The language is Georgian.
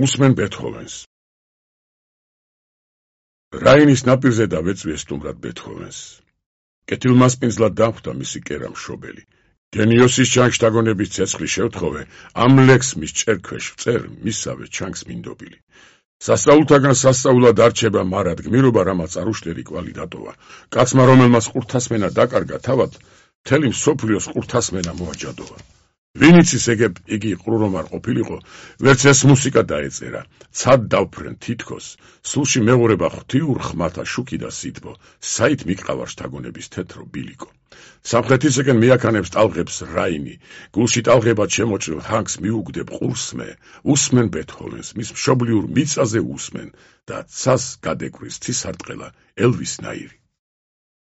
უსმენ ბეთჰოვენს. რაინის ნაპირზე დავეწვიე სტუმრად ბეთჰოვენს. კეთილმასპინძლად დახვდა მისი კერა მშობელი. გენიოსის ჩანგშთაგონების ცეცხლის შევთხოვე, ამ ლექსს მის ჭერქვეშ ვწერ, მისსავე ჩანგს მინდობილი. სასწაულთაგან სასწაულად არჩება მარად გმირობა, რამაც არ უშტერი კვალი დატოვა. კაცმა, რომელმაც ყურთასმენა დაკარგა თავად, მთელი მსოფლიოს ყურთასმენა მოაჯადოვა. ვინც ეგებ იგი ყრუ რომ არ ყოფილიყო, ვერც ეს მუსიკა დაეწერა. ცად დავფრენ თითქოს, სულში მეღურება ღვთიურ ხმათა შუქი და სითბო, საით მიყავარ შთაგონების თეთრო ბილიკო. სამხრეთისაკენ მიაქანებს ტალღებს რაინი, გულში ტალღებად შემოჭრილ ჰანგს მიუგდებ ყურსმე, უსმენ ბეთჰოვენს, მის მშობლიურ მიწაზე უსმენ და ცას გადეკვრის ცისარტყელა ელვის ნაირი.